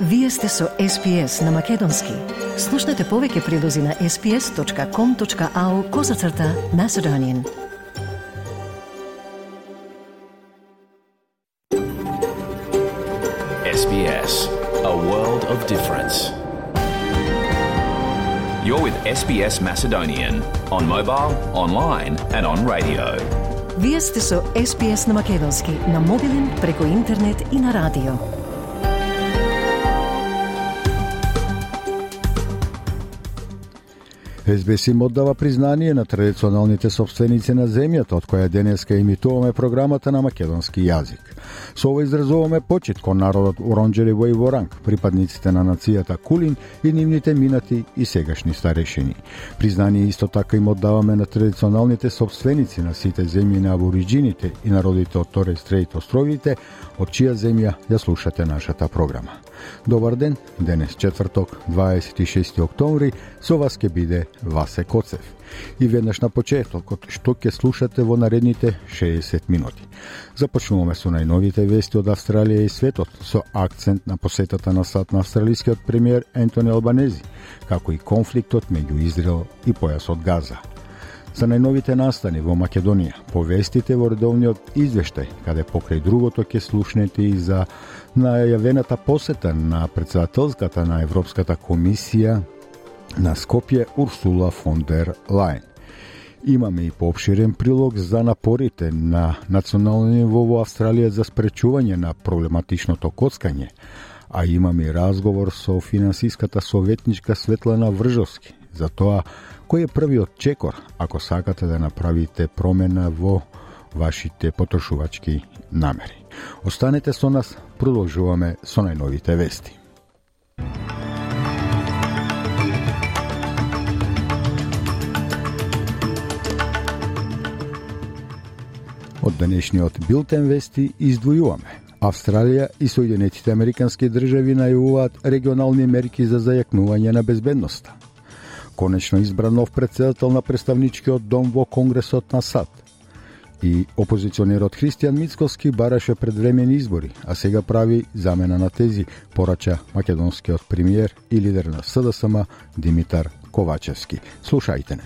Вие сте со SPS на Македонски. Слушнете повеќе прилози на sps.com.au/Macedonian. SBS, a world of difference. You're with SBS Macedonian on mobile, online and on radio. Вие сте со SPS на Македонски на мобилен, преку интернет и на радио. SBS им оддава признание на традиционалните собственици на земјата, од која денеска имитуваме програмата на македонски јазик. Со ова изразуваме почит кон народот Уронџери во Воранг, припадниците на нацијата Кулин и нивните минати и сегашни старешини. Признание исто така им оддаваме на традиционалните собственици на сите земји на абориџините и народите од Торес Стрейт островите, од чија земја ја слушате нашата програма. Добар ден, денес четврток, 26 октомври, со вас ќе биде Васе Коцев. И веднаш на почетокот, што ќе слушате во наредните 60 минути. Започнуваме со најновите вести од Австралија и светот, со акцент на посетата на САД на австралискиот премиер Ентони Албанези, како и конфликтот меѓу Израел и појасот Газа. За најновите настани во Македонија, повестите во редовниот извештај, каде покрај другото ќе слушнете и за најавената посета на председателската на Европската комисија на Скопје Урсула фон дер Лајен. Имаме и поопширен прилог за напорите на национално ниво во Австралија за спречување на проблематичното коцкање, а имаме и разговор со финансиската советничка Светлана Вржовски за тоа кој е првиот чекор ако сакате да направите промена во вашите потрошувачки намери. Останете со нас, продолжуваме со најновите вести. Од денешниот билтен вести издвојуваме. Австралија и Соединетите Американски држави најавуваат регионални мерки за зајакнување на безбедноста. Конечно избран нов председател на представничкиот дом во Конгресот на САД. И опозиционерот Христијан Мицкоски бараше предвремени избори, а сега прави замена на тези, порача македонскиот премиер и лидер на СДСМ Димитар Ковачевски. Слушајте не.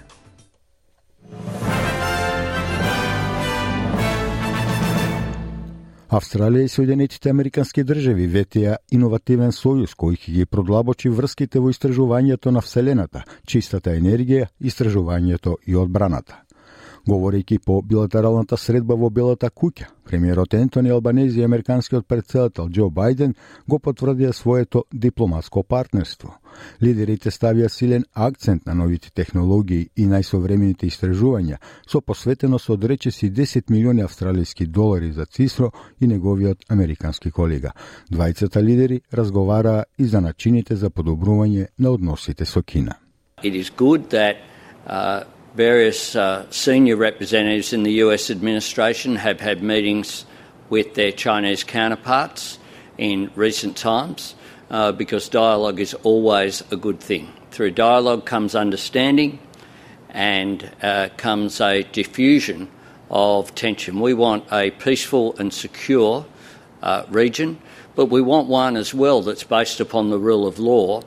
Австралија и Соединетите Американски држави ветија иновативен сојуз кој ќе ги продлабочи врските во истражувањето на Вселената, чистата енергија, истражувањето и одбраната. Говорејќи по билатералната средба во Белата куќа, премиерот Ентони Албанези и американскиот председател Џо Бајден го потврдија своето дипломатско партнерство. Лидерите ставија силен акцент на новите технологии и најсовремените истражувања, со посветеност од речиси 10 милиони австралиски долари за Цисро и неговиот американски колега. Двајцата лидери разговараа и за начините за подобрување на односите со Кина. It is good that various senior representatives in the US administration have had meetings with their Chinese counterparts in recent times because dialogue is always a good thing. Through dialogue comes understanding and comes a diffusion of tension. We want a peaceful and secure region, but we want one as well that's based upon the rule of law.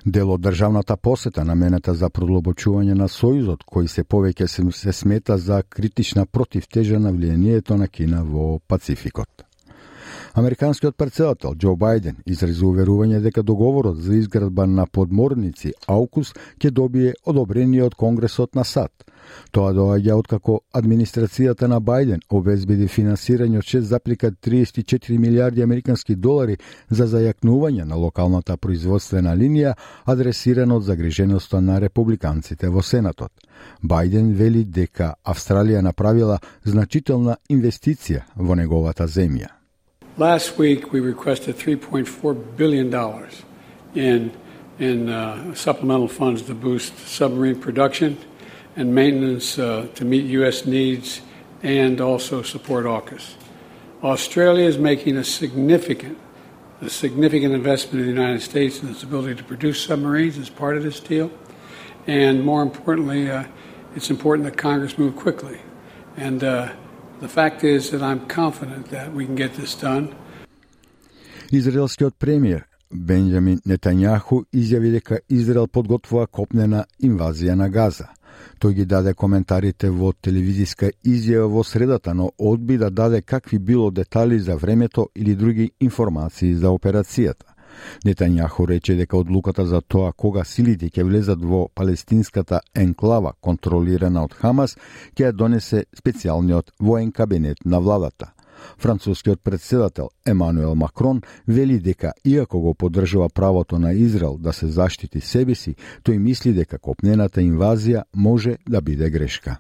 Дел од државната посета наменета за продлабочување на сојузот, кој се повеќе се смета за критична противтежа на влијанието на Кина во Пацификот. Американскиот председател Џо Бајден изрази уверување дека договорот за изградба на подморници AUKUS ќе добие одобрение од Конгресот на САД. Тоа доаѓа откако администрацијата на Бајден обезбеди финансирање од 6,34 милиарди американски долари за зајакнување на локалната производствена линија, адресирана од загриженоста на републиканците во Сенатот. Бајден вели дека Австралија направила значителна инвестиција во неговата земја. Last week we requested $3.4 billion in supplemental funds to boost submarine production and maintenance to meet U.S. needs and also support AUKUS. Australia is making a significant investment in the United States in its ability to produce submarines as part of this deal. And more importantly, it's important that Congress move quickly. And the fact is that I'm confident that we can get this done. Израелскиот премиер Бенџамин Нетањаху изјави дека Израел подготвува копнена инвазија на Газа. Тој ги даде коментарите во телевизиска изјава во средата, но одби да даде какви било детали за времето или други информации за операцијата. Нетањаху рече дека одлуката за тоа кога силите ќе влезат во палестинската енклава контролирана од Хамас ќе ја донесе специјалниот воен кабинет на владата. Францускиот председател Емануел Макрон вели дека иако го поддржува правото на Израел да се заштити себе си, тој мисли дека копнената инвазија може да биде грешка.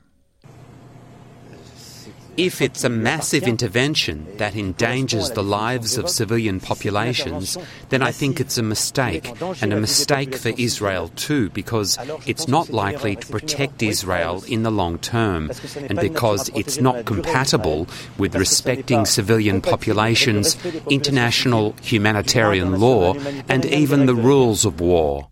If it's a massive intervention that endangers the lives of civilian populations, then I think it's a mistake, and a mistake for Israel too, because it's not likely to protect Israel in the long term, and because it's not compatible with respecting civilian populations, international humanitarian law, and even the rules of war.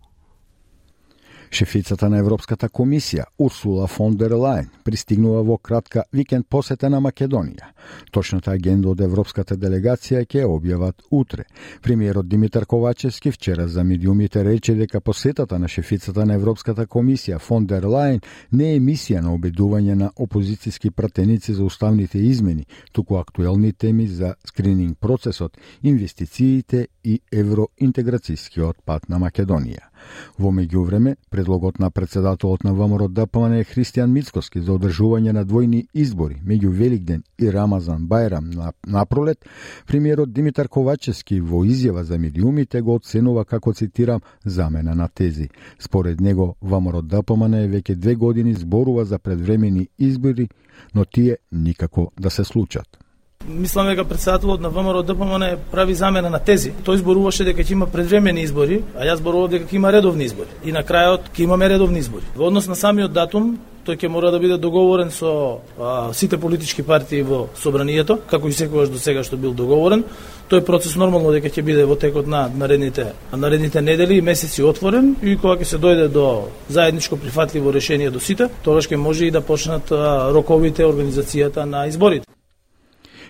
Шефицата на Европската комисија, Урсула фон дер Лајен, пристигнува во кратка викенд посета на Македонија. Точната агенда од Европската делегација ќе објават утре. Премиерот Димитар Ковачевски вчера за медиумите рече дека посетата на шефицата на Европската комисија фон дер Лајен не е мисија на обидување на опозицијски пратеници за уставните измени, туку актуелни теми за скрининг процесот, инвестициите и евроинтеграцијскиот пат на Македонија. Во меѓувреме, предлогот на председателот на ВМРО ДПМН Христијан Мицкоски за одржување на двојни избори меѓу Великден и Рамазан Бајрам на пролет, премиерот Димитар Ковачевски во изјава за медиумите го оценува како, цитирам, замена на тези. Според него, ВМРО ДПМН веќе 2 години зборува за предвремени избори, но тие никако да се случат. Мислам дека председателот на ВМРО ДПМН прави замена на тези. Тој зборуваше дека ќе има предвремени избори, а јас зборував дека ќе има редовни избори. И на крајот ќе имаме редовни избори. Во однос на самиот датум, тој ќе мора да биде договорен со сите политички партии во собранието, како и секогаш до сега што бил договорен. Тој процес нормално дека ќе биде во текот на наредните недели и месеци отворен, и кога ќе се дојде до заедничко прифатливо решение до сите, тогаш ќе може и да почнат роковите, организацијата на изборите.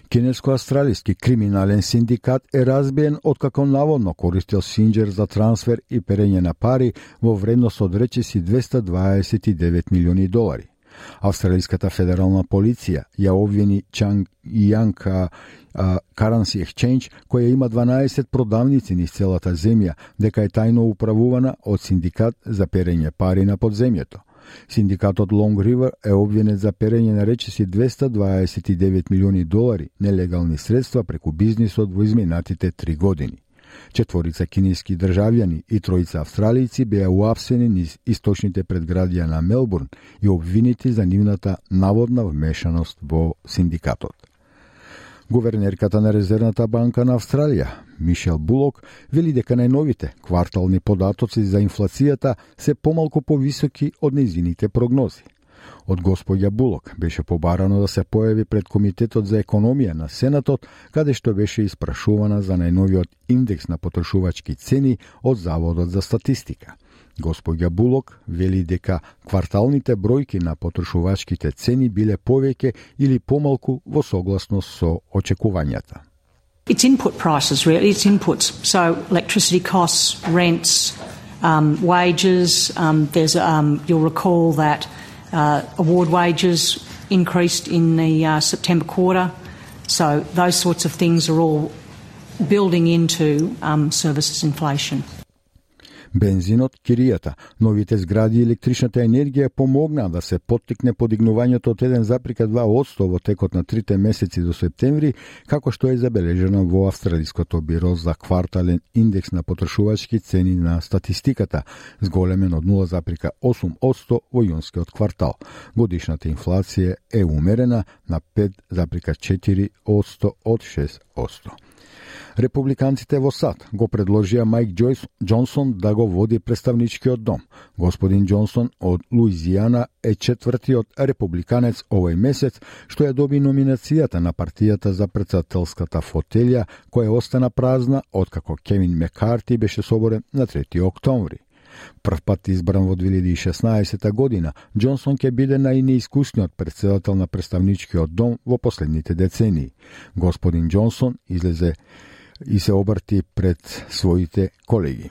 Кинеско-австралиски криминален синдикат е разбиен откако наводно користел синџер за трансфер и перење на пари во вредност од речиси $229 милиони. Австралиската федерална полиција ја обвини Чанг Јанг Currency Exchange, која има 12 продавници низ целата земја, дека е тајно управувана од синдикат за перење пари на подземјето. Синдикатот Long River е обвинет за перење на речиси $229 милиони нелегални средства преку бизнисот во изминатите 3 години. 4 кинески државјани и 3 австралијци беа уапсени низ источните предградија на Мелбурн и обвинети за нивната наводна вмешаност во синдикатот. Гувернерката на Резервната банка на Австралија, Мишел Булок, вели дека најновите квартални податоци за инфлацијата се помалку повисоки од нејзините прогнози. Од господја Булок беше побарано да се појави пред Комитетот за економија на Сенатот, каде што беше испрашувана за најновиот индекс на потрошувачки цени од Заводот за статистика. Господја Булок вели дека кварталните бројки на потрошувачките цени биле повеќе или помалку во согласност со очекувањата. It's input prices, really. It's inputs. So electricity costs, rents, wages. You'll recall that award wages increased in the September quarter. So those sorts of things are all building into services inflation. Бензинот, киријата, новите згради и електричната енергија помогнаа да се поттикне подигнувањето од 1,2% во текот на 3 месеци до септември, како што е забележено во Австралиското биро за квартален индекс на потрошувачки цени на статистиката, зголемен од 0,8% во јунскиот квартал. Годишната инфлација е умерена на 5,4% од 6%. Републиканците во САД го предложија Мајк Џонсон да го води представничкиот дом. Господин Џонсон од Луизијана е четвртиот републиканец овој месец што ја доби номинацијата на партијата за претседателската фотелја, која остана празна откако Кевин Мекарти беше соборен на 3 октомври. Прв пат избран во 2016 година, Џонсон ќе биде најнеискусниот претседател на представничкиот дом во последните децении. Господин Џонсон излезе и се обрти пред своите колеги.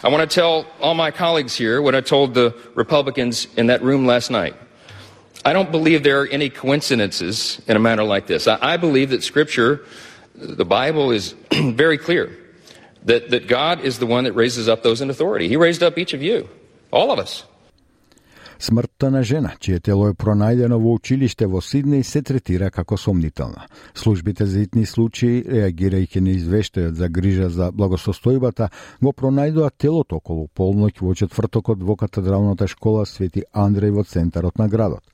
I want to tell all my colleagues here what I told the Republicans in that room last night. I don't believe there are any coincidences in a matter like this. I believe that Scripture, the Bible, is very clear that God is the one that raises up those in authority. He raised up each of you, all of us. Смртта на жена, чие тело е пронајдено во училиште во Сиднеј, се третира како сомнителна. Службите за итни случаи, реагирајќи на извештајот за грижа за благосостојбата, го пронајдоа телото околу полноќ во четвртокот во катедралната школа Свети Андреј во центарот на градот.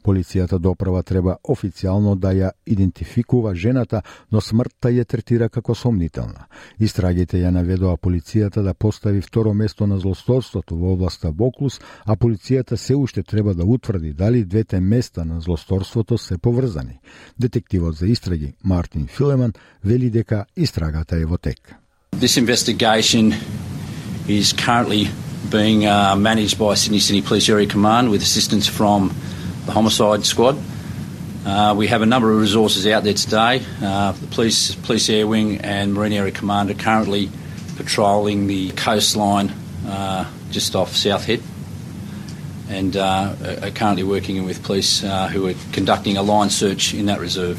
Полицијата допрва треба официјално да ја идентификува жената, но смртта ја третира како сомнителна. Истрагите ја наведоа полицијата да постави второ место на злосторството во областа Воклус, а полицијата се уште треба да утврди дали двете места на злосторството се поврзани. Детективот за истраги Мартин Филеман вели дека истрагата е во тек. This investigation is currently being managed by Sydney City Police Area Command with assistance from the Homicide Squad. We have a number of resources out there today. The Police Air Wing and Marine Area Command are currently patrolling the coastline just off South Head and are currently working with police who are conducting a line search in that reserve.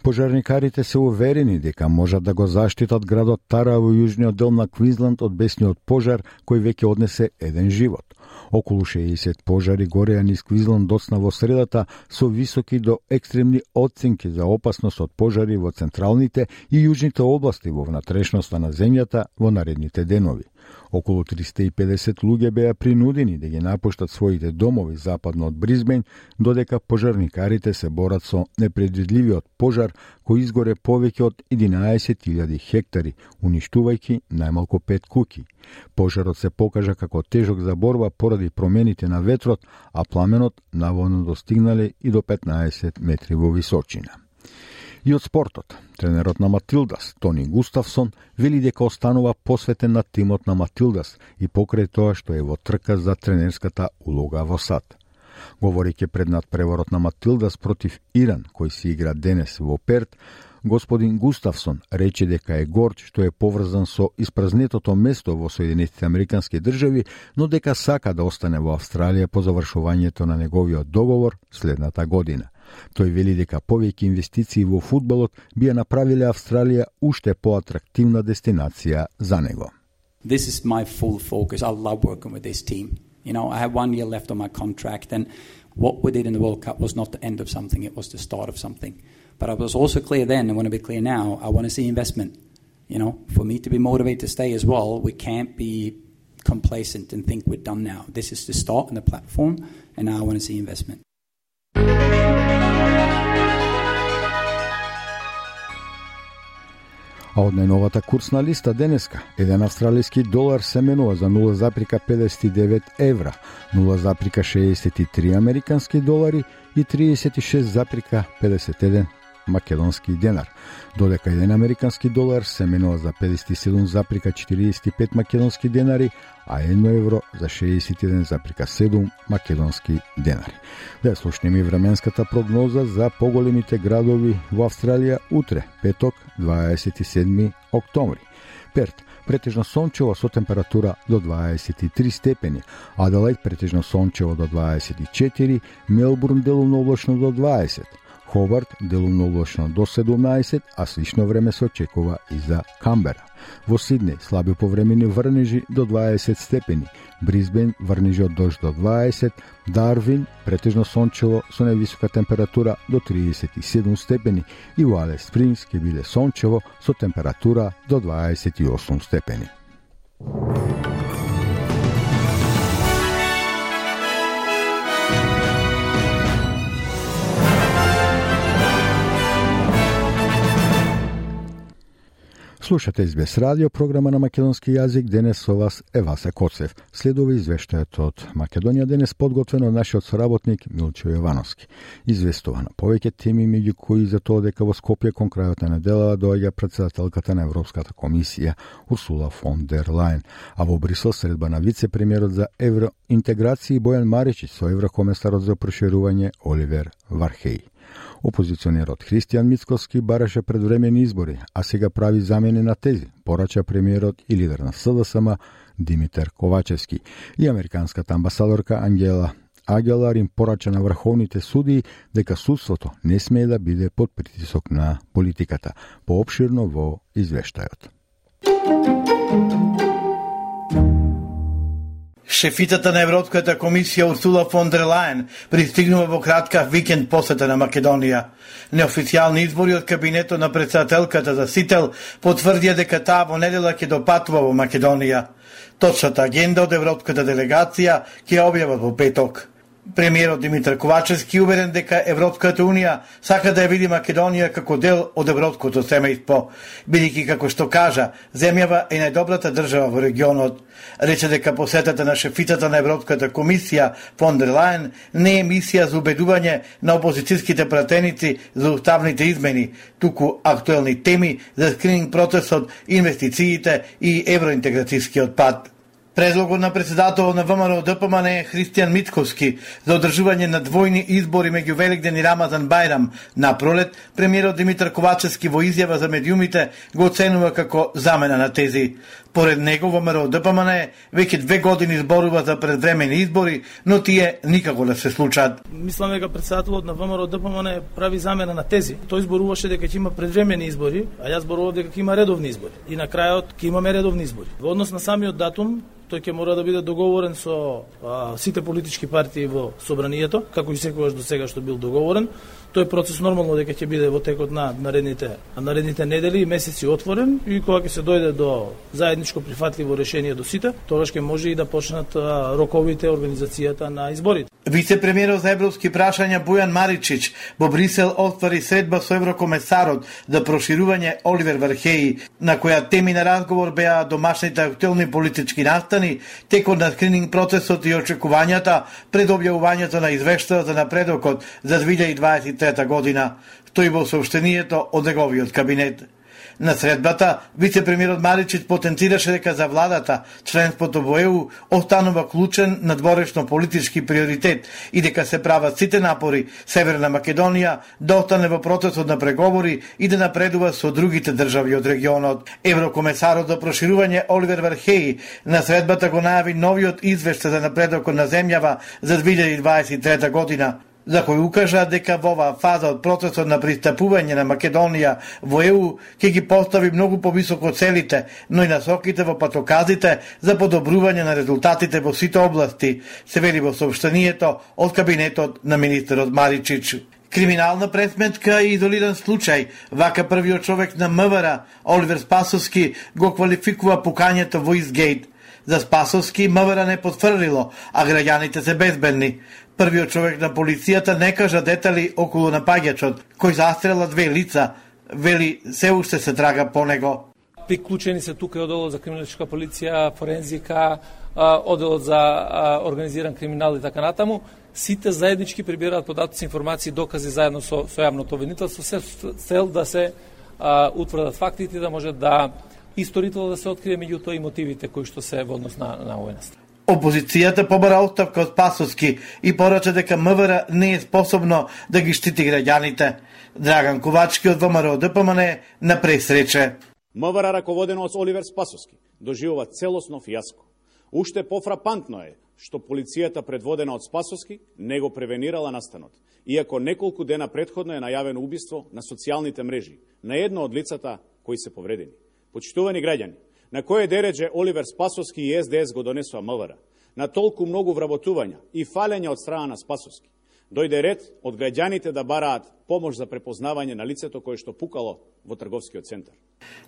Пожарникарите се уверени дека можат да го заштитат градот Тара во јужниот дел на Квинсленд од бесниот пожар кој веќе однесе еден живот. Околу 60 пожари гореа низ Квинсленд доцна во средата со високи до екстремни оценки за опасност од пожари во централните и јужните области во внатрешноста на земјата во наредните денови. Околу 350 луѓе беа принудени да ги напуштат своите домови западно од Бризбен, додека пожарникарите се борат со непредвидливиот пожар кој изгоре повеќе од 11.000 хектари, уништувајќи најмалку 5 куќи. Пожарот се покажа како тежок за борба поради промените на ветрот, а пламенот наводно достигнале и до 15 метри во височина. И од спортот, тренерот на Матилдас, Тони Густавсон, вели дека останува посветен на тимот на Матилдас и покрај тоа што е во трка за тренерската улога во САД. Говорејќи пред надпреварот на Матилдас против Иран, кој се игра денес во Перт, господин Густавсон рече дека е горд што е поврзан со испразнетото место во Соединетите Американски држави, но дека сака да остане во Австралија по завршувањето на неговиот договор следната година. Тој вели дека повеќе инвестиции во фудбалот би ја направиле Австралија уште поатрактивна дестинација за него. This is my full focus. I love working with this team. You know, I have 1 year left on my contract, and what we did in the World Cup was not the end of something, it was the start of something. But I was also clear then, and want to be clear now, I want to see investment. You know, for me to be motivated to stay as well, we can't be complacent and think we're done now. This is the start and the platform, and now I want to see investment. А од најновата курсна листа денеска, еден австралиски долар се менува за 0,59 евра, 0,63 американски долари и 36,51 македонски денар, додека еден американски долар се менува за 57,45 македонски денари, а 1 евро за 61,7 македонски денари. Да слушнеме временската прогноза за поголемите градови во Австралија утре, петок, 27 октомври. Перт, претежно сончево со температура до 23 степени, Аделајд претежно сончево до 24, Мелбурн делумно облачно до 20, Хобарт делумно облачно до 17, а слично време се очекува и за Камбера. Во Сиднеј слаби повремени врнежи до 20 степени, Бризбен врнежи од дожд до 20, Дарвин претежно сончево со највисока температура до 37 степени и во Алис Спрингс ќе биде сончево со температура до 28 степени. Слушате СБС радио, програма на македонски јазик. Денес со вас е Васе Коцев. Следува извештајот од Македонија денес подготвено од нашиот соработник Милчо Јовановски. Известува на повеќе теми, меѓу кои за тоа дека во Скопје кон крајот на неделава доаѓа председателката на Европската комисија Урсула фон дер Лајен, а во Брисел средба на вице-премиерот за евроинтеграција Бојан Маричич со еврокомесарот за проширување Оливер Вархеј. Опозиционерот Христијан Мицкоски бараше предвремени избори, а сега прави замени на тези, порача премиерот и лидер на СДСМ Димитар Ковачевски. И американската амбасадорка Ангела Агелар им порача на врховните судии дека судството не смее да биде под притисок на политиката. Поопширно во извештајот. Шефицата на Европската комисија Урсула фон дер Лајен пристигнува во кратка викенд посета на Македонија. Неофицијални избори од кабинетот на претседателката за Сител потврдија дека таа во недела ќе допатува во Македонија. Точната агенда од европската делегација ќе објават во петок. Премиерот Димитар Ковачевски уверен дека Европската унија сака да ја види Македонија како дел од европското семејство, бидејќи како што кажа, земјава е најдобрата држава во регионот. Рече дека посетата на шефицата на Европската комисија фон дер Лајен не е мисија за убедување на опозицијските пратеници за уставните измени, туку актуелни теми за скрининг процесот, инвестициите и евроинтеграцијскиот пат. Предлогот на председателот на ВМРО ДПМН Христијан Мицкоски за одржување на двојни избори меѓу Великден и Рамазан Бајрам на пролет, премиерот Димитар Ковачевски во изјава за медиумите го оценува како замена на тези. Поред него ВМРО ДПМН веќе 2 години зборува за предвремени избори, но тие никако да се случат. Мислам дека председателот на ВМРО ДПМН прави замена на тези. Тој зборуваше дека ќе има предвремени избори, а јас зборував дека ќе има редовни избори. И на крајот ќе имаме редовни избори. Во однос на самиот датум, тој ќе мора да биде договорен со сите политички партии во собранието, како и секогаш до сега што бил договорен. Тој процес нормално дека ќе биде во текот на наредните недели и месеци отворен и кога ќе се дојде до заедничко прифатливо решение до сите, тогаш ќе може и да почнат роковите организацијата на изборите. Вице-премиерот за европски прашања Бојан Маричич во Брисел отвори средба со еврокомесарот за проширување Оливер Вархеи, на која теми на разговор беа домашните актуелни политички настани, текот на скрининг процесот и очекувањата пред објавувањето на извештајот за напредокот за 2023 година, стои во сообщението од неговиот кабинет. На средбата, вице-премиерот Маричич потенцираше дека за владата членството во ЕУ останува клучен надворешно политички приоритет и дека се прават сите напори Северна Македонија да остане во процесот на преговори и да напредува со другите држави од регионот. Еврокомесарот за проширување Оливер Вархеи на средбата го најави новиот извештај за напредокот на земјава за 2023 година, за кој укажа дека во оваа фаза од процесот на пристапување на Македонија во ЕУ ќе ги постави многу повисоко целите, но и насоките во патоказите за подобрување на резултатите во сите области, се вели во сообщението од кабинетот на министерот Маричич. Криминална пресметка и изолиран случај, вака првиот човек на МВР, Оливер Спасовски, го квалификува пукањето во Изгейт. За Спасовски МВР не потврдило, а граѓаните се безбедни. Првиот човек на полицијата не кажа детали околу напаѓачот, кој застрела 2 лица, вели се уште се трага по него. Приклучени се тука одделот за криминалистичка полиција, форензика, одделот за организиран криминал и така натаму. Сите заеднички прибираат податоци, информации, докази заедно со јавното обвинителство, се цел да се утврдат фактите, да може да исторително да се открие меѓутоа и мотивите кои што се во однос на војната. Опозицијата побара оставка од Спасовски и порача дека МВР не е способно да ги штити граѓаните. Драган Ковачки од ВМРО ДПМН на пресрече. МВР раководено од Оливер Спасовски доживува целосно фијаско. Уште пофрапантно е што полицијата предводена од Спасовски не го превенирала настанот, иако неколку дена претходно е најавено убиство на социјалните мрежи на едно од лицата кои се повредени. Почитувани граѓани, на кој дередже Оливер Спасовски и СДС го донесува МВР, на толку многу вработувања и фалења од страна на Спасовски, дојде ред од граѓаните да бараат помош за препознавање на лицето кое што пукало во трговскиот центар.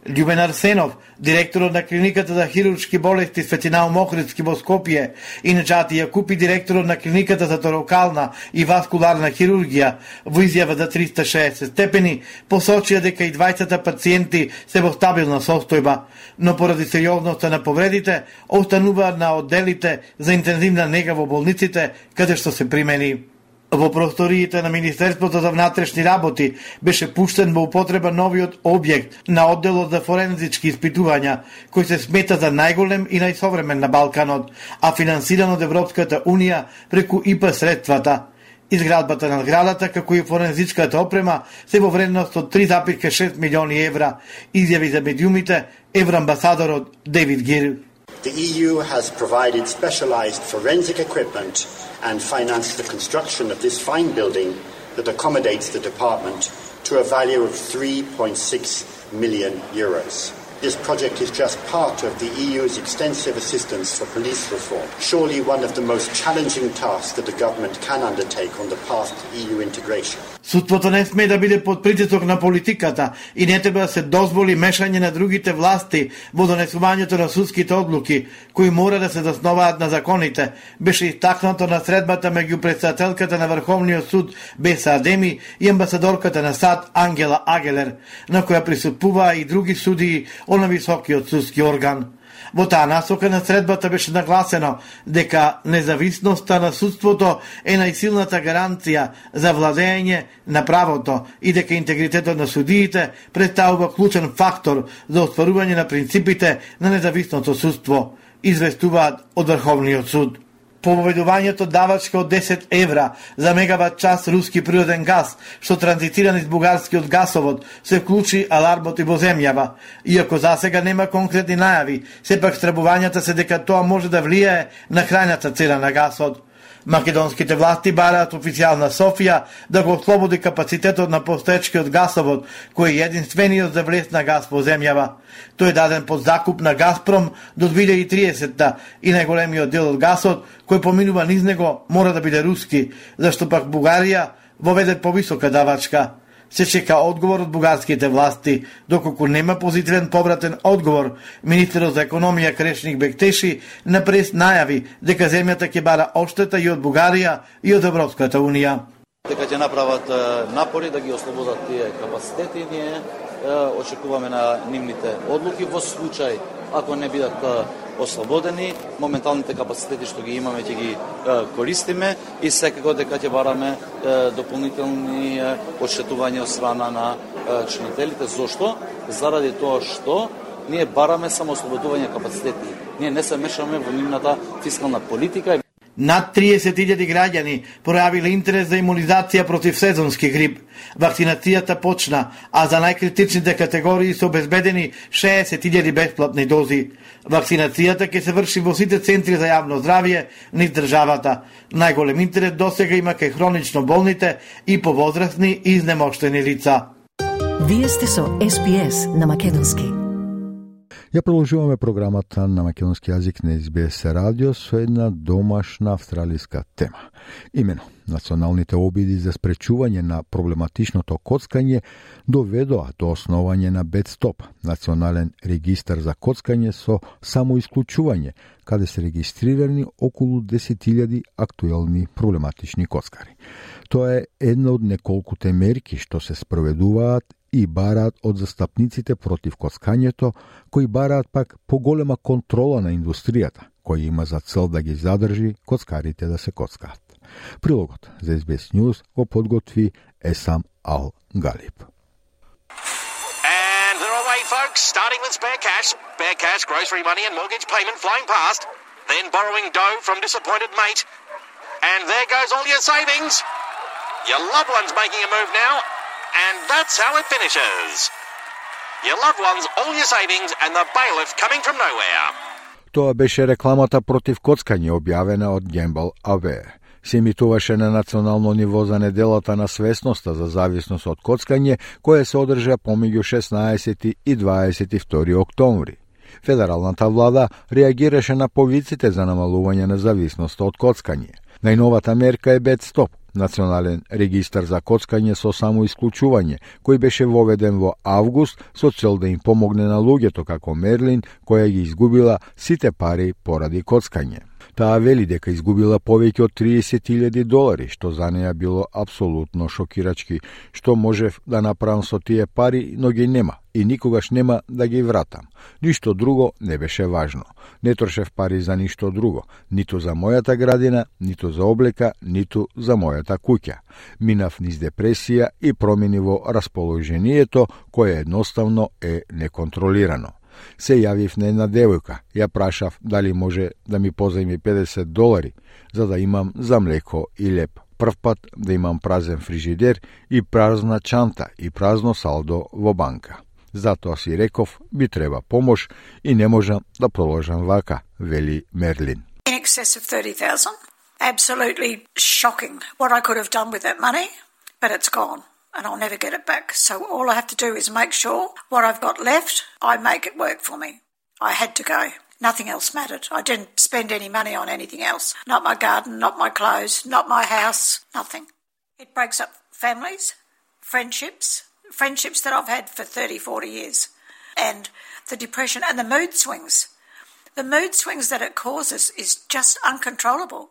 Љубен Арсенов, директорот на клиниката за хируршки болести Светинал Мохридски во Скопје, и Неджати Јакупи, директорот на клиниката за торакална и васкуларна хирургија, во изјава за 360 степени, посочија дека и двајцата пациенти се во стабилна состојба, но поради сериозноста на повредите, остануваат на одделите за интензивна нега во болниците, каде што се примени. Во просториите на Министерството за внатрешни работи беше пуштен во употреба новиот објект на одделот за форензички испитувања, кој се смета за најголем и најсовремен на Балканот, а финансиран од Европската Унија преку ИПА средствата. Изградбата на зградата, како и форензичката опрема, се во вредност од 3,6 милиони евра, изјави за медиумите евроамбасадорот Дейвид Гир. The EU has provided specialized forensic equipment and financed the construction of this fine building that accommodates the department to a value of 3.6 million euros. This project is just part of the EU's extensive assistance for police reform, surely one of the most challenging tasks that the government can undertake on the path to EU integration. Судството не сме да биде под притисок на политиката и не треба да се дозволи мешање на другите власти во донесувањето на судските одлуки, кои мора да се засноваат на законите, беше истакнато на средбата меѓу претседателката на Врховниот суд Беса Адеми и амбасадорката на САД Ангела Агелер, на која присуствуваа и други судии од високиот судски орган. Во таа насока на средбата беше нагласено дека независноста на судството е најсилната гаранција за владење на правото и дека интегритетот на судиите представува клучен фактор за остварување на принципите на независното судство, известуваат од Врховниот суд. По воведувањето давачка од 10 евра за мегават час руски природен газ, што транзитира низ бугарскиот гасовод, се вклучи алармот и во земјава. Иако засега нема конкретни најави, сепак стребувањата се дека тоа може да влијае на крајната цена на гасот. Македонските власти бараат официјална Софија да го ослободи капацитетот на постоечкиот гасовод, кој е единствениот за влез на газ во земјава. Тој е даден под закуп на Газпром до 2030 и најголемиот дел од гасот кој поминува низ него мора да биде руски, зашто пак Бугарија воведе повисока давачка. Се чека одговор од бугарските власти, доколку нема позитивен повратен одговор. Министерот за економија Крешник Бектеши на прес најави дека земјата ќе бара одштета и од Бугарија и од Европската унија. Дека ќе направат напори да ги ослободат тие капацитети, ние очекуваме на нивните одлуки во случај ако не бидат ослободени, моменталните капацитети што ги имаме ќе ги користиме и секако дека ќе бараме дополнителни одштетувања од страна на чинителите. Зошто? Заради тоа што ние бараме само ослободување капацитети. Ние не се мешаме во нивната фискална политика. Над 30.000 граѓани пројавиле интерес за имунизација против сезонски грип. Вакцинацијата почна, а за најкритичните категории се обезбедени 60.000 бесплатни дози. Вакцинацијата ќе се врши во сите центри за јавно здравје низ државата. Најголем интерес досега има кај хронично болните и повозрасни и изнемоштени лица. Вие сте со SPS на македонски. Ја продолжуваме програмата на македонски јазик на SBS радио со една домашна австралиска тема. Имено, националните обиди за спречување на проблематичното коцкање доведоа до основање на BetStop, национален регистар за коцкање со самоисклучување, каде се регистрирани околу 10.000 актуелни проблематични коцкари. Тоа е една од неколкуте мерки што се спроведуваат и бараат од застапниците против коцкањето, кои бараат пак поголема контрола на индустријата, која има за цел да ги задржи коцкарите да се коцкаат. Прилогот за SBS News го подготви Есам Ал Галиб. And they're away, folks, starting with spare cash, grocery money and mortgage payment flying past, then borrowing dough from disappointed mate. And there goes all your savings. Your loved one's making a move now. And that's how it finishes. Your loved ones, all your savings, and the bailiff coming from nowhere. Тоа беше рекламата против коцкање објавена од Gamble Aware. Се емитуваше на национално ниво за неделата на свесноста за зависност од коцкање, која се одржа помеѓу 16 и 22 октомври. Федералната влада реагираше на повиците за намалување на зависноста од коцкање. Најновата мерка е BetStop, национален регистар за коцкање со самоисклучување, кој беше воведен во август со цел да им помогне на луѓето како Мерлин, која ги изгубила сите пари поради коцкање. Таа вели дека изгубила повеќе од $30,000, што за неја било апсолутно шокирачки. Што можев да направам со тие пари, но ги нема и никогаш нема да ги вратам. Ништо друго не беше важно. Не трошев пари за ништо друго, ниту за мојата градина, ниту за облека, ниту за мојата куќа. Минав низ депресија и промени во расположението, кое едноставно е неконтролирано. Се јавив на една девојка, ја прашав дали може да ми позајми $50 за да имам за млеко и леп. прв пат да имам празен фрижидер и празна чанта и празно салдо во банка. Затоа си реков, би треба помош и не можам да продолжам вака, вели Мерлин. In excess of 30,000. Absolutely shocking what I could have done with that money, but it's gone and I'll never get it back. So all I have to do is make sure what I've got left, I make it work for me. I had to go. Nothing else mattered. I didn't spend any money on anything else. Not my garden, not my clothes, not my house, nothing. It breaks up families, friendships that I've had for 30, 40 years, and the depression and the mood swings. The mood swings that it causes is just uncontrollable.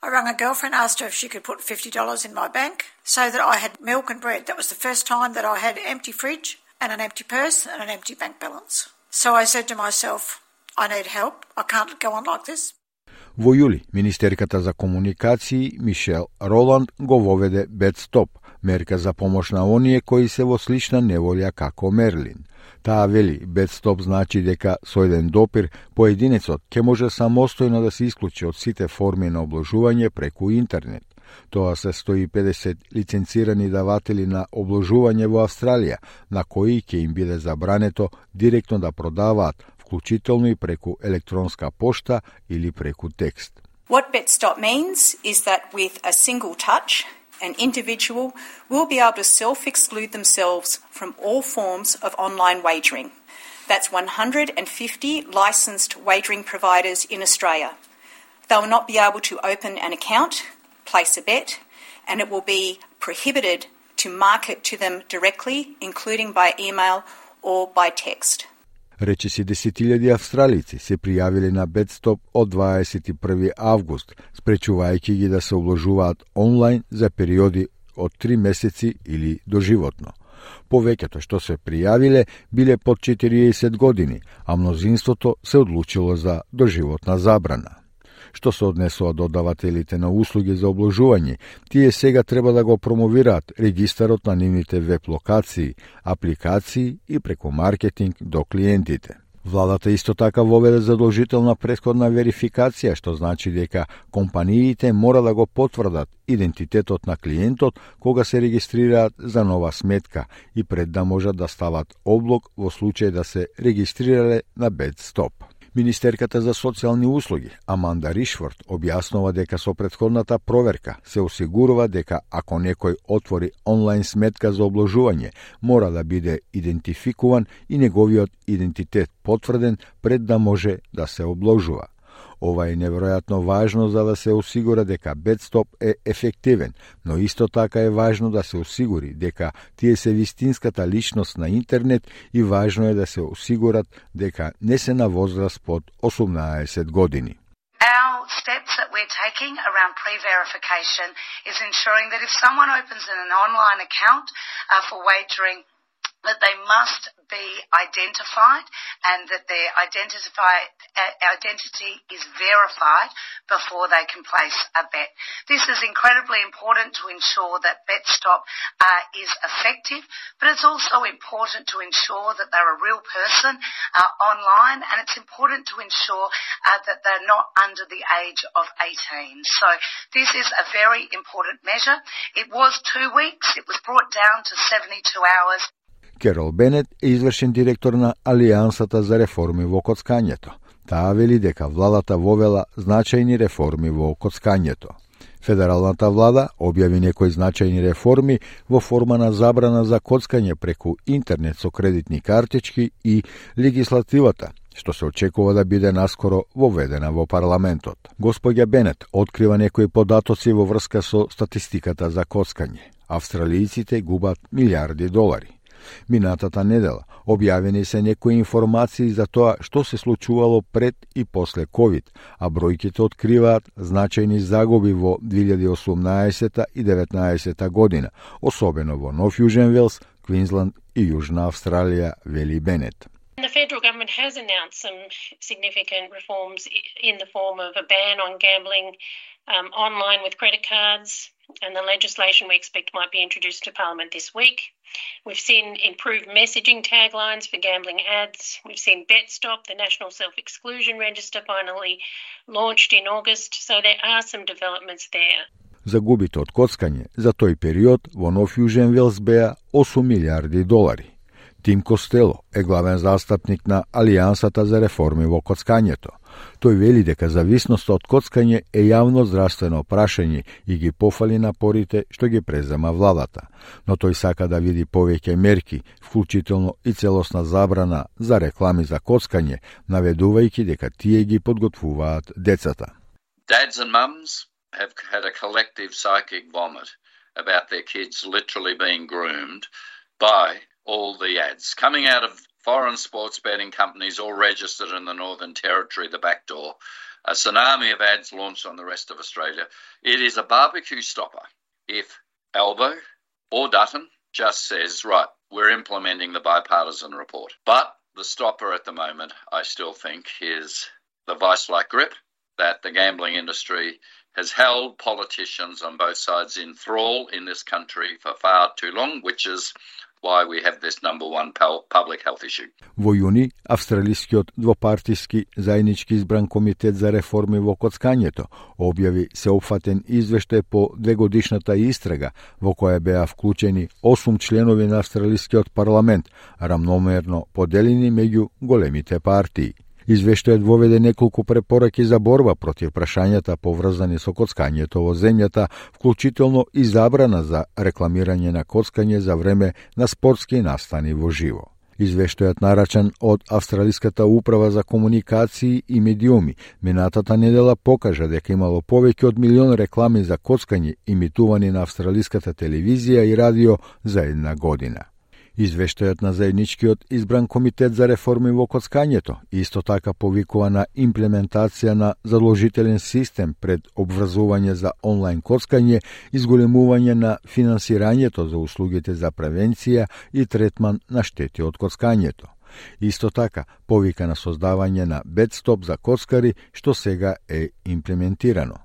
I rang a girlfriend, asked her if she could put $50 in my bank so that I had milk and bread. That was the first time that I had an empty fridge and an empty purse and an empty bank balance. So I said to myself, I need help. I can't go on like this. Во јули, Министерката за комуникации Мишел Роланд го воведе BedStop, мерка за помош на оние кои се во слична неволја како Мерлин. Таа вели, BedStop значи дека со еден допир поединецот ќе може самостојно да се исклучи од сите форми на обложување преку интернет. Тоа се 150 лиценцирани даватели на обложување во Австралија, на кои ќе им биде забрането директно да продаваат, вклучително и преку електронска пошта или преку текст. What BetStop means is that with a single touch, an individual will be able to self-exclude themselves from all forms of online wagering. That's 150 licensed wagering providers in Australia. They will not be able to open an account, place a bet, and it will be prohibited to market to them directly, including by email or by text. Речиси 10.000 австралици се пријавиле на BedStop од 21. август, спречувајќи ги да се обложуваат онлайн за периоди од 3 месеци или доживотно. Повеќето што се пријавиле биле под 40 години, а мнозинството се одлучило за доживотна забрана. Што се однесува до давателите на услуги за обложување, тие сега треба да го промовираат регистарот на нивните веб локации, апликации и преку маркетинг до клиентите. Владата исто така воведе задолжителна претходна верификација, што значи дека компаниите мора да го потврдат идентитетот на клиентот кога се регистрираат за нова сметка и пред да можат да стават облог во случај да се регистрирале на BedStop. Министерката за социјални услуги Аманда Ришфорд објаснува дека со претходната проверка се осигурува дека ако некој отвори онлайн сметка за обложување, мора да биде идентификуван и неговиот идентитет потврден пред да може да се обложува. Ова е неверојатно важно за да се осигура дека BedStop е ефективен, но исто така е важно да се осигури дека тие се вистинската личност на интернет и важно е да се осигурат дека не се на возраст под 18 години. Our steps that we're taking around pre-verification is ensuring that if someone opens an online account for wagering, that they must be identified and that their identity is verified before they can place a bet. This is incredibly important to ensure that BetStop is effective, but it's also important to ensure that they're a real person online, and it's important to ensure that they're not under the age of 18. So this is a very important measure. It was 2 weeks. It was brought down to 72 hours. Керол Бенет е извршен директор на Алијансата за реформи во коцкањето. Таа вели дека владата вовела значајни реформи во коцкањето. Федералната влада објави некои значајни реформи во форма на забрана за коцкање преку интернет со кредитни картички и легислативата, што се очекува да биде наскоро воведена во парламентот. Господја Бенет открива некои податоци во врска со статистиката за коцкање. Австралијците губат милиарди долари. Минатата недела објавени се некои информации за тоа што се случувало пред и после COVID, а бројките откриваат значајни загуби во 2018 и 2019 година, особено во Нов Јужен Велс, Квинсланд и Јужна Австралија, вели Бенет. The federal government has announced some significant reforms in the form of a ban on gambling online with credit cards, and the legislation we expect might be introduced to Parliament this week. We've seen improved messaging taglines for gambling ads. We've seen BetStop, the National Self-Exclusion Register, finally launched in August, so there are some developments there. Загубите од коцкање за тој период во Нов Јужен Велс беа 8 милиарди долари. Тим Костело е главен застапник на Алијансата за реформи во коцкањето. Тој вели дека зависноста од коцкање е јавно здравствено прашање и ги пофали напорите што ги презема владата, но тој сака да види повеќе мерки, вклучително и целосна забрана за реклами за коцкање, наведувајќи дека тие ги подготвуваат децата. Dads and mums have had a collective psychic vomit about their kids literally being groomed by all the ads coming out of foreign sports betting companies all registered in the Northern Territory, the back door. A tsunami of ads launched on the rest of Australia. It is a barbecue stopper if Albo or Dutton just says, right, we're implementing the bipartisan report. But the stopper at the moment, I still think, is the vice-like grip that the gambling industry has held politicians on both sides in thrall in this country for far too long, which is why we have this number one public health issue. Во јуни, австралискиот двопартиски заеднички избран комитет за реформи во коцкањето објави сеопфатен извештај по двегодишната истрага во која беа вклучени 8 членови на австралискиот парламент, рамномерно поделени меѓу големите партии. Извештајот воведе неколку препораки за борба против прашањата поврзани со коцкањето во земјата, вклучително и забрана за рекламирање на коцкање за време на спортски настани во живо. Извештајот нарачан од Австралиската управа за комуникации и медиуми минатата недела покажа дека имало повеќе од 1 милион реклами за коцкање имитувани на австралиската телевизија и радио за една година. Извештајот на заедничкиот избран комитет за реформи во коцкањето исто така повикува на имплементација на задолжителен систем пред обврзување за онлайн коцкање, изголемување на финансирањето за услугите за превенција и третман на штети од коцкањето. Исто така повика на создавање на бедстоп за коцкари, што сега е имплементирано.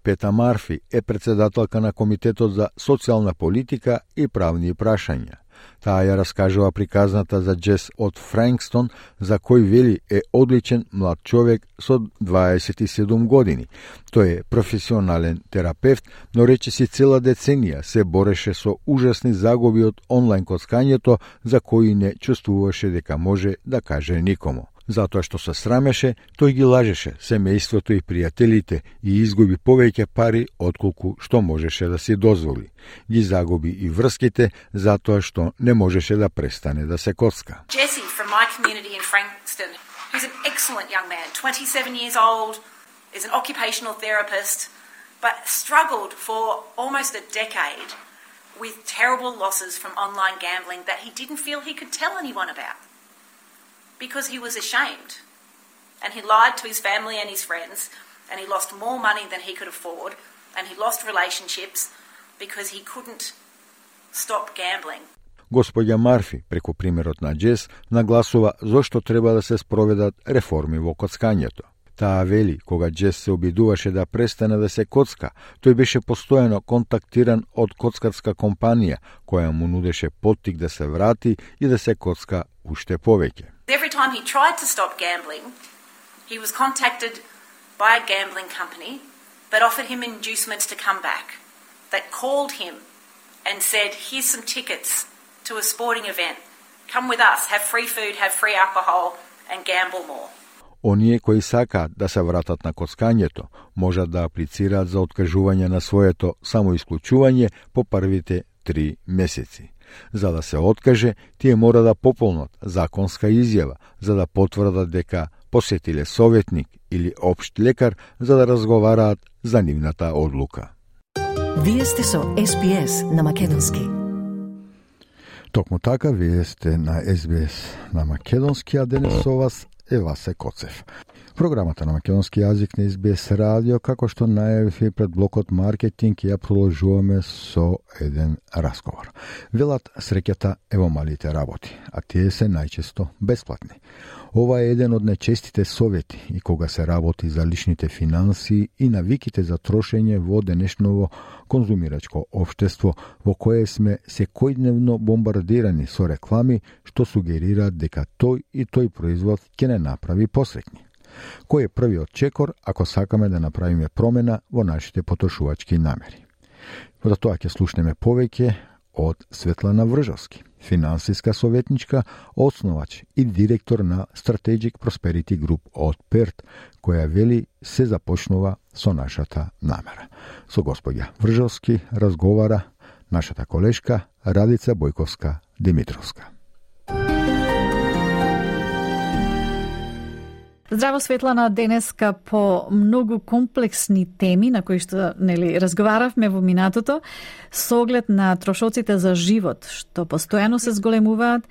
Пета Марфи е председателка на Комитетот за социјална политика и правни прашања. Таа ја раскажува приказната за Джес од Франкстон, за кој вели е одличен млад човек со 27 години. Тој е професионален терапевт, но речиси цела деценија се бореше со ужасни загуби од онлайн коцкањето, за кои не чувствуваше дека може да каже никому. Затоа што се срамеше, тој ги лажеше семејството и пријателите и изгуби повеќе пари отколку што можеше да си дозволи. Ги загуби и врските затоа што не можеше да престане да се коцка. Jesse from my community in Frankston, who's an excellent young man, 27 years old, is an occupational therapist, but struggled for almost a decade with terrible losses from online gambling that he didn't feel he could tell anyone about. Because he was ashamed, and he lied to his family and his friends, and he lost more money than he could afford, and he lost relationships because he couldn't stop gambling. Господја Марфи, преку примерот на Джес, нагласува зошто треба да се спроведат реформи во коцкањето. Таа вели, кога Джес се обидуваше да престане да се коцка, тој беше постојано контактиран од коцкарска компанија, која му нудеше поттик да се врати и да се коцка уште повеќе. Every time he tried to stop gambling, he was contacted by a gambling company that offered him inducements to come back, that called him and said, here's some tickets to a sporting event. Come with us, have free food, have free alcohol and gamble more. Оние кои сакаат да се вратат на коцкањето, можат да аплицираат за откажување на своето самоисклучување по првите 3 месеци. За да се откаже, тие мора да пополнат законска изјава, за да потврдат дека посетиле советник или општ лекар за да разговараат за нивната одлука. Вие сте со SBS на македонски. Токму така, вие сте на SBS на македонски, а денес со вас е Васе Коцев. Програмата на македонски јазик на SBS радио, како што најавив пред блокот маркетинг, ја продолжуваме со еден разговор. Велат, среќата е во малите работи, а тие се најчесто бесплатни. Ова е еден од најчестите совети и кога се работи за личните финанси и навиките за трошење во денешново конзумирачко општество, во кое сме секојдневно бомбардирани со реклами што сугерираат дека тој и тој производ ќе не направи посреќни. Кој е првиот чекор ако сакаме да направиме промена во нашите потрошувачки намери? За тоа ќе слушнеме повеќе од Светлана Вржовски, финансиска советничка, основач и директор на Strategic Prosperity Group од Перт, која вели се започнува со нашата намера. Со господја Вржовски разговара нашата колешка Радица Бојковска-Димитровска. Здраво, Светлана, денеска по многу комплексни теми на кои што разговаравме во минатото, со оглед на трошоците за живот што постојано се зголемуваат,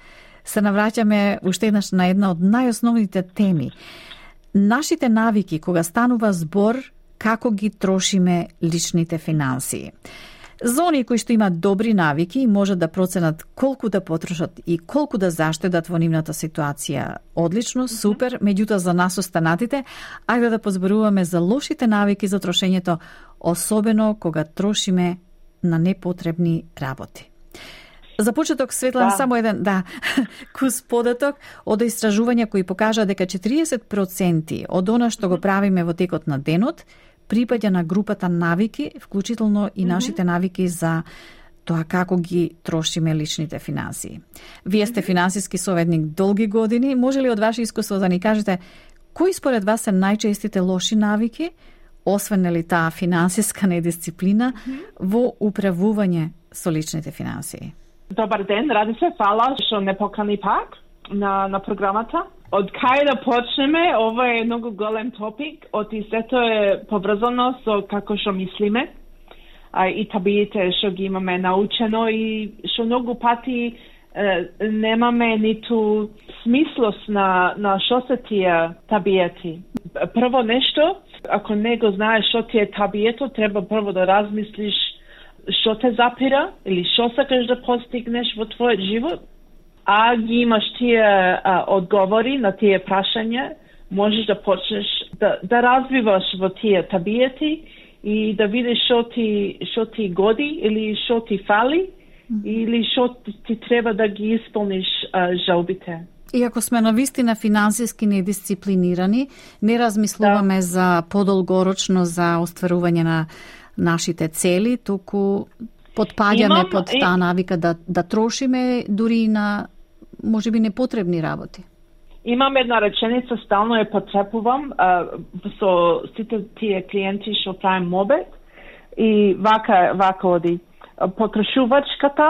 се навраќаме уште еднаш на една од најосновните теми. Нашите навики кога станува збор како ги трошиме личните финансии. За оние кои што имаат добри навики може да проценат колку да потрошат и колку да заштедат во нивната ситуација. Одлично, супер, меѓутоа за нас останатите, ајде да позборуваме за лошите навики за трошењето, особено кога трошиме на непотребни работи. За почеток, Светлана, само еден кус податок од истражувања кои покажа дека 40% од она што го правиме во текот на денот припаѓа на групата навики, вклучително и нашите навики за тоа како ги трошиме личните финансии. Вие сте финансиски советник долги години. Може ли од ваше искуство да ни кажете кои според вас се најчестите лоши навики, освен нели таа финансиска недисциплина, во управување со личните финансии? Добар ден, ради се, фала што не покани пак на програмата. Од кај да почнеме, ова е многу голем топик, оти сето е поврзано со како што мислиме и табиите што ги имаме научено и што многу пати немаме ниту смислост на што се тие табиети. Прво нешто, ако не го знаеш што ти е табието, треба прво да размислиш што те запира или што сакаш да постигнеш во твојот живот. А ги имаш тие одговори на тие прашања, можеш да почнеш да развиваш во тие табиети и да видиш што ти годи или што ти фали или што ти треба да ги исполниш жалбите. И ако сме навистина финансиски недисциплинирани, не размислуваме за подолгорочно за остварување на нашите цели, туку подпаѓаме под таа навика да трошиме дури на можеби непотребни работи. Имам една реченица, стално ја потребувам со сите тие клиенти што правим мобет и вака оди. Потрошувачката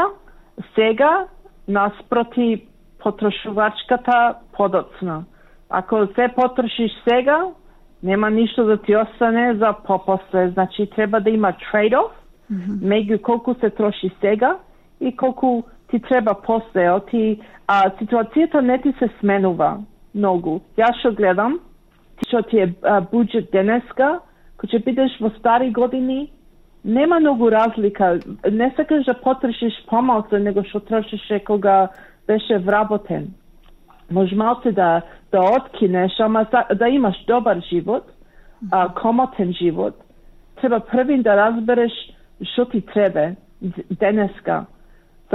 сега наспроти потрошувачката подоцна. Ако се потрошиш сега, нема ништо да ти остане за попосле. Значи треба да има trade-off меѓу колку се троши сега и колку ти треба после. Ситуацијата не ти се сменува многу. Јас што гледам, што ти е буџет денеска, кој ќе бидеш во стари години, нема многу разлика. Не сакаш да потрошиш помалку него што трошише кога беше вработен. Може малце да откинеш, ама да имаш добар живот, комотен живот. Треба првин да разбереш што ти треба денеска.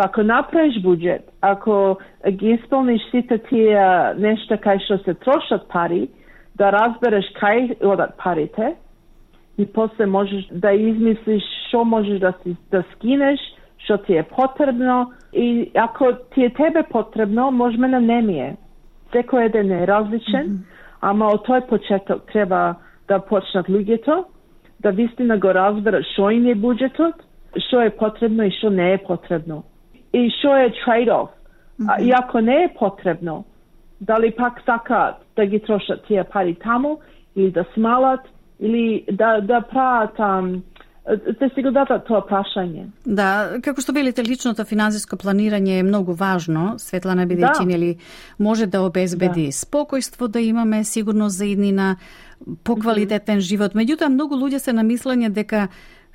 Ако направиш буџет, ако ги исполниш сите тие нешта кај што се трошат пари, да разбереш кај одат парите и после можеш да измислиш што можеш да скинеш, што ти е потребно и ако ти е тебе потребно, можеме на не ми е. Секој еден е различен, ама од тој почеток треба да почнат луѓето, да вистина го разберат што им е буџетот, што е потребно и што не е потребно. И што е trade-off. И ако не е потребно, дали пак сакаат да ги трошат тие пари таму, или да смалат, или да прават, да си го дадат тоа прашање. Да, како што велите, личното финансиско планирање е многу важно, Светлана, бидејќи нели може да обезбеди спокојство, да имаме сигурност за иднина, поквалитетен живот. Меѓутоа, многу луѓе се на мислење дека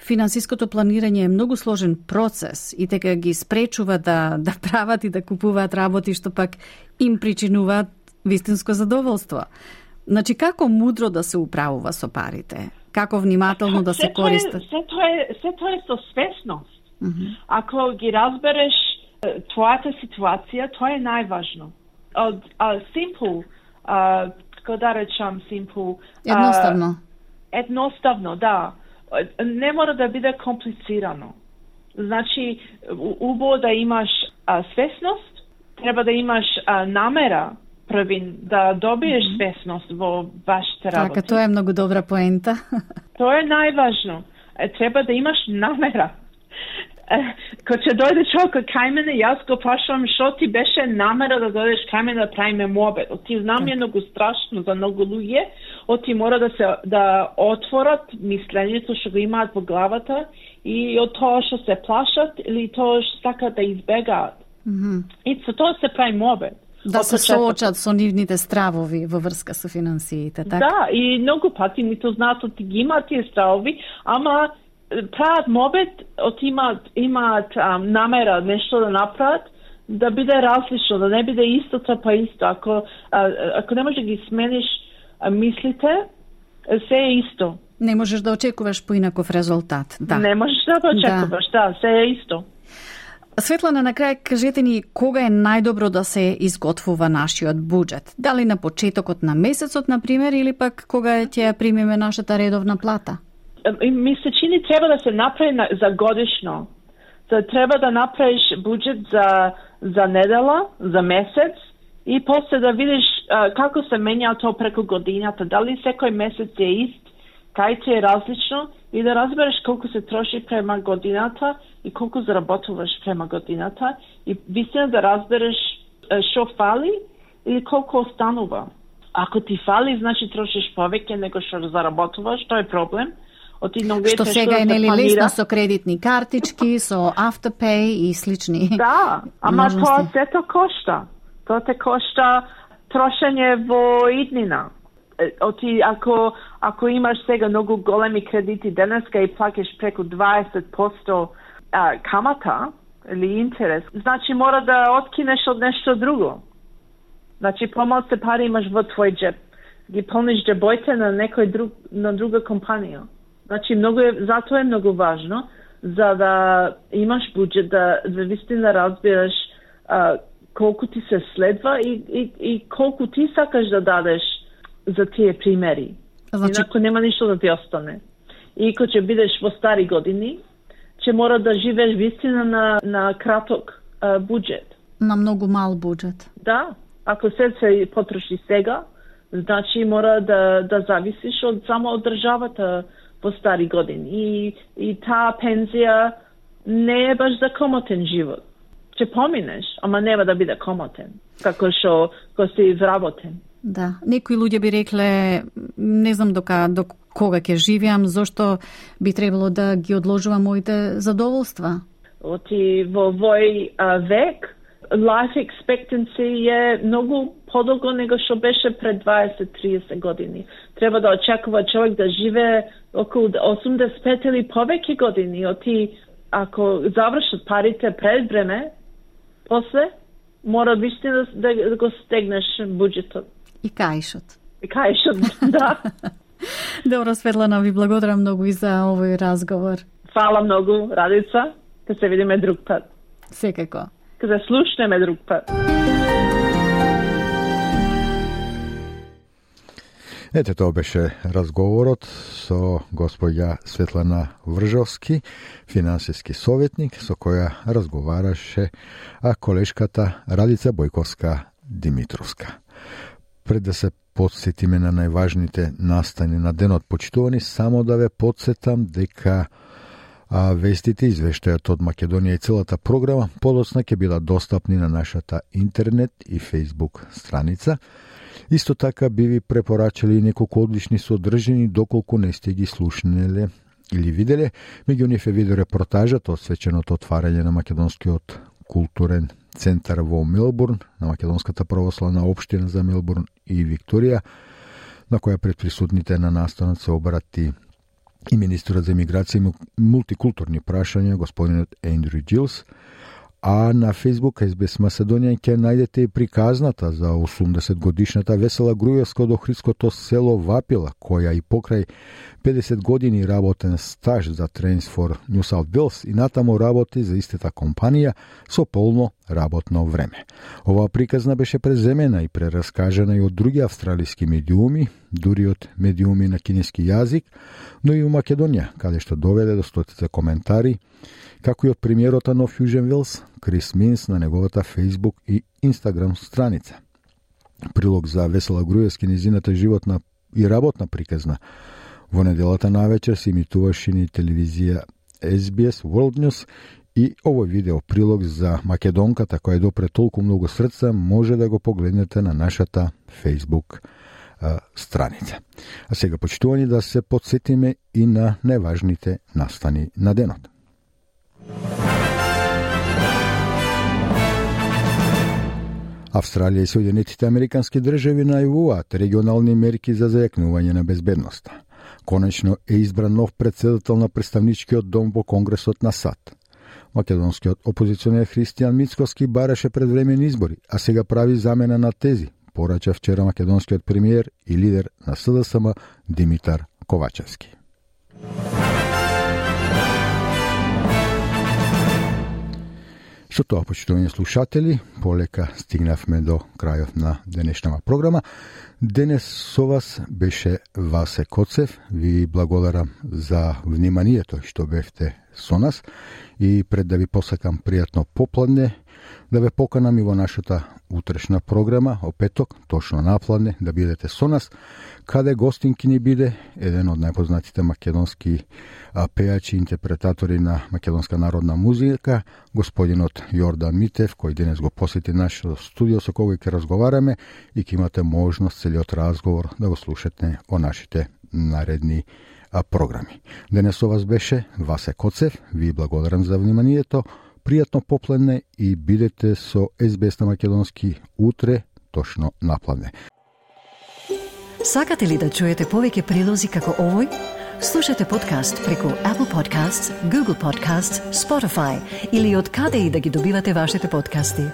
финансиското планирање е многу сложен процес и дека ги спречува да прават и да купуваат работи што пак им причинуваат вистинско задоволство. Значи, како мудро да се управува со парите? Како внимателно да се користат? Се тоа е со свесност. Ако ги разбереш твојата ситуација, тоа е најважно. Simple како да речам, simple. Едноставно. Едноставно, да. Не мора да биде комплицирано. Значи, убаво да имаш свесност, треба да имаш намера првин да добиеш свесност во вашите работи. Така, тоа е многу добра поента. Тоа е најважно. Треба да имаш намера. Кога ќе дојде човек кај мене, јас го прашувам што ти беше намера да дојдеш кај мене да правиме мобет. Оти знам е многу страшно за многу луѓе, оти мора да отворат мислењето што го имаат во главата и од тоа што се плашат или тоа што сакаат да избегаат. И со тоа се прави мобет. Да се соочат со нивните стравови во врска со финансиите, така? Да, и многу пати нито знаат оти ги имаат тие стравови, ама прават мобет, имаат намера нешто да направат, да биде различно, да не биде истото па исто. Ако не можеш да ги смениш мислите, се е исто. Не можеш да очекуваш поинаков резултат, да. Не можеш да очекуваш, да, се е исто. Светлана, на крај кажете ни кога е најдобро да се изготвува нашиот буџет? Дали на почетокот на месецот, например, или пак кога ќе примиме нашата редовна плата? Ми се чини треба да се направи за годишно. Треба да направиш буџет за недела, за месец и после да видиш како се менја тоа преку годината. Дали секој месец е ист, кај ти е различно и да разбереш колку се троши према годината и колку заработуваш према годината и вистина да разбереш што фали или колку останува. Ако ти фали, значи трошиш повеќе него што заработуваш, тоа е проблем. Што сега е нели лесно со кредитни картички, со Afterpay и слични. Да, ама тоа сето кошта. Тоа те кошта трошење во иднина. Ако имаш сега многу големи кредити денеска и плакаш преку 20% камата или интерес, значи мора да откинеш од нешто друго. Значи помалку пари имаш во твој джеб. Ги полниш джебоите на друга компанија. Значи затоа е многу важно за да имаш буџет, да вистина разбираш колку ти се следва и колку ти сакаш да дадеш за тие примери. Значи, инако нема ништо да ти остане. И кога ќе бидеш во стари години, ќе мора да живееш вистина на краток буџет. На многу мал буџет. Да, ако се потроши сега, значи мора да зависиш само од државата во стари години. И таа пензија не е баш за комотен живот. Ќе поминеш, ама нема да биде комотен, како што си вработен. Да, некои луѓе би рекле, не знам до кога ќе живеам, зошто би требало да ги одложувам моите задоволства. Оти во овој век, life expectancy е многу подолго него што беше пред 20-30 години. Треба да очекува човек да живее околу 85 или повеќе години. Ако завршат парите пред време, после мора вистина да го стегнеш буџетот. И каишот. Да. Добро, Светлана, ви благодарам многу и за овој разговор. Фала многу, Радица. Ке се видиме друг пат. Секако. Ке се слушнеме друг пат. Ете, тоа беше разговорот со господја Светлана Вржовски, финансиски советник, со која разговараше колешката Радица Бојковска-Димитровска. Пред да се подсетиме на најважните настани на денот почитувани, само да ве подсетам дека вестите, извештајот од Македонија и целата програма подоцна ќе бидат достапни на нашата интернет и Facebook страница. Исто така би ви препорачали неколку одлични содржини, доколку не сте ги слушнеле или виделе. Меѓу нив е видеорепортажат освеченото отварање на Македонскиот културен центар во Мелбурн, на Македонската православна општина за Мелбурн и Викторија, на која пред присутните на настанот се обрати и министерот за емиграција и мултикултурни прашања, господинот Ендрю Джилс, а на Facebook SBS Macedonian ќе најдете и приказната за 80-годишната Весела Груевска од Охридското село Вапила, која и покрај 50 години работен стаж за Trains for New South Wales и натаму работи за истата компанија со полно работно време. Оваа приказна беше преземена и прераскажана и од други австралиски медиуми, дури од медиуми на кинески јазик, но и у Македонија, каде што доведе до стотици коментари, како и од премиерот на Нов Јужен Велс, Крис Минс, на неговата Facebook и Instagram страница. Прилог за Весела Груевски низината животна и работна приказна во неделата навечер се имитуваше ни телевизија SBS World News и овој видео прилог за македонката која допре толку многу срца може да го погледнете на нашата Facebook страница. А сега, почитувани, да се подсетиме и на најважните настани на денот. Австралија и Соединетите Американски држави најавуваат регионални мерки за зајакнување на безбедноста. Конечно е избран нов претседател на представничкиот дом во Конгресот на САД. Македонскиот опозиционер Христијан Мицкоски бараше предвремени избори, а сега прави замена на тези, порача вчера македонскиот премиер и лидер на СДСМ Димитар Ковачевски. Со тоа, почитувани слушатели, полека стигнавме до крајот на денешната програма. Денес со вас беше Васе Коцев. Ви благодарам за вниманието што бевте со нас и пред да ви посакам пријатно попладне, да ве поканам и во нашата утрешна програма, о петок, точно напладне, да бидете со нас, каде гостинки ни биде еден од најпознатите македонски пејачи и интерпретатори на македонска народна музика, господинот Јордан Митев, кој денес го посети нашето студио со кој ќе разговараме и ќе имате можност целиот разговор да го слушате о нашите наредни програми. Денес со вас беше Васе Коцев. Ви благодарам за вниманието. Пријатно попладне и бидете со SBS на македонски утре точно напладне. Сакате ли да чуете повеќе прилози како овој? Слушате подкаст преку Apple Podcasts, Google Podcasts, Spotify или од каде и да ги добивате вашите подкасти.